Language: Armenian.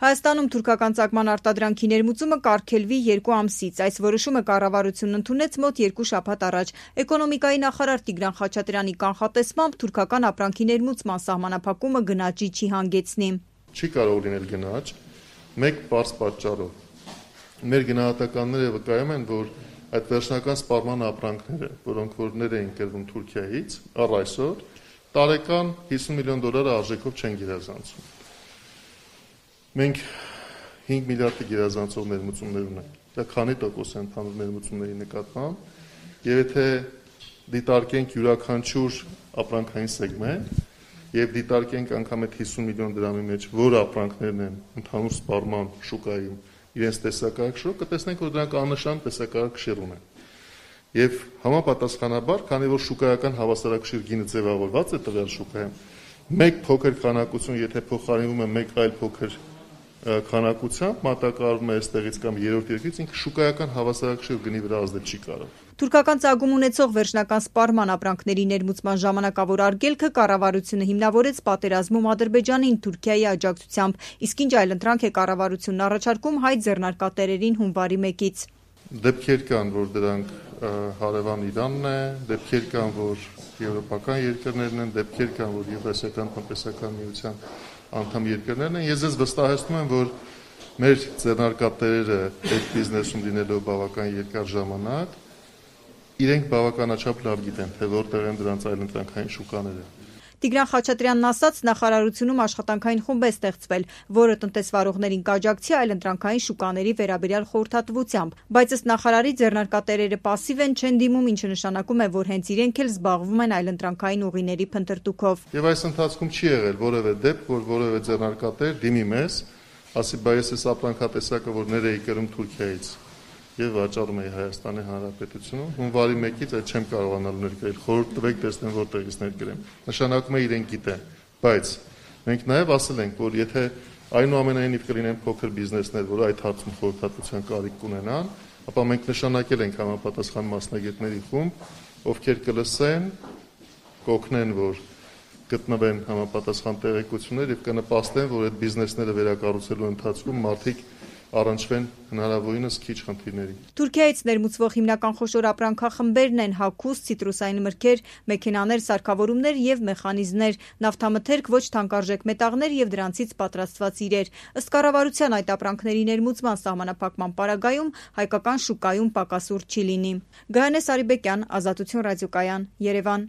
Հայաստանում թուրքական ծագման արտադրանքի ներմուծումը կարգելվի 2 ամսից։ Այս որոշումը կառավարությունն ընդունեց մոտ 2 շաբաթ առաջ։ Էկոնոմիկայի նախարար Տիգրան Խաչատրյանի կանխատեսմամբ թուրքական ապրանքի ներմուծման սահմանափակումը գնաճի չի հանգեցնի։ Չի կարող լինել գնաճ մեկ պարզ պատճառով։ Մեր գնահատականները վկայում են, որ այդ վերջնական սպառման ապրանքները, որոնք որ էին կրվում Թուրքիայից, առ այսօր տարեկան $50 միլիոն արժեքով չեն գերազանցում։ Մենք 5 միլիարդի գերազանցող ներմուծումներ ունենք։ Դա քանի տոկոս է ընդհանուր ներմուծումների նկատմամբ, եւ եթե դիտարկենք յուրաքանչյուր ապրանքային սեգմենտ եւ դիտարկենք անգամ այդ 50 միլիոն դրամի մեջ որ ապրանքներն են ընդհանուր սպառման շուկայում իրենց տեսակարար քշով, կտեսնենք, որ դրանք աննշան տեսակարար քշեր ունեն։ Եվ համապատասխանաբար, քանի որ շուկայական հավասարակշիռ գինը ձևավորված է տվյալ շուկայում, մեկ փոքր քանակություն, եթե փոխարինվում է մեկ այլ փոքր քանակությամբ, մատակարարվում է այստեղից կամ երրորդ երկրից, ինքը շուկայական հավասարակշիռ գնի վրա ազդել չի կարող։ Թուրքական ծագում ունեցող վերջնական սպառման ապրանքների ներմուծման ժամանակավոր արգելքը կառավարությունը հիմնավորեց պատերազմում Ադրբեջանին Թուրքիայի աջակցությամբ, իսկ ինչ այլընտրանք է կառավարությունն առաջարկում հայ ձեռնարկատերերին հունվարի 1-ից։ Դեպքեր կան, որ դրանք հարևան Իրանն է, դեպքեր կան, որ եվրոպական երկրներն են, դեպքեր կան, որ Եվրասիական տնտեսական միության անդամ երկրներն են։ Ես ձեզ վստահեցնում եմ, որ մեր ձեռնարկատերերը այդ բիզնեսում լինելով բավական երկար ժամանակ իրենք բավականաչափ լավ գիտեն, թե որտեղ են դրանց այլընտրանքային շուկաները։ Տիգրան Խաչատրյանն ասաց, նախարարությունում աշխատանքային խումբ է ստեղծվել, որը տնտեսվարողներին կաջակցի այլընտրանքային շուկաների վերաբերյալ խորհրդատվությամբ, բայց ըստ նախարարի ձեռնարկատերերը պասիվ են, չեն դիմում, ինչը նշանակում է, որ հենց իրենք էլ զբաղվում են այլընտրանքային ուղիների փնտրտուքով։ Եվ այս ընթացքում չի եղել որևէ դեպք, որ որևէ ձեռնարկատեր դիմի մեզ, ասի բայ ես ապրանքատեսակը, որ էի կրում Թուրքիայից եւ վաճառում էի Հայաստանի Հանրապետությունում, հունվարի 1-ից այդ չեմ կարողանալ ներկայել, խորհուրդ տվեք, տեսնեմ որտեղից ներկրեմ։ Նշանակում է իրենք գիտեն, բայց մենք նաեւ ասել ենք, որ եթե այնուամենայնիվ կլինեն փոքր բիզնեսներ, որ այդ հարցում խորհրդատվության կարիք կունենան, ապա մենք նշանակել ենք համապատասխան մասնագետների խումբ, ովքեր կլսեն, կօգնեն, որ գտնվեն համապատասխան տեղեկություններ եւ կնպաստեն, որ այդ բիզնեսները վերակառուցելու ընթացքում մարդիկ առնչվեն հնարավորինս քիչ խնդիրների։ Թուրքիայից ներմուծվող հիմնական խոշոր ապրանքախմբերն են հագուստ, ցիտրուսային մրգեր, մեքենաներ, սարքավորումներ եւ մեխանիզմներ, նավթամթերք, ոչ թանկարժեք մետաղներ եւ դրանցից պատրաստված իրեր։ Ըստ կառավարության այդ ապրանքների ներմուծման սահմանափակման պարագայում հայկական շուկայում պակասուրդ չի լինի։ Գայանե Սարիբեկյան, Ազատություն ռադիոկայան, Երևան։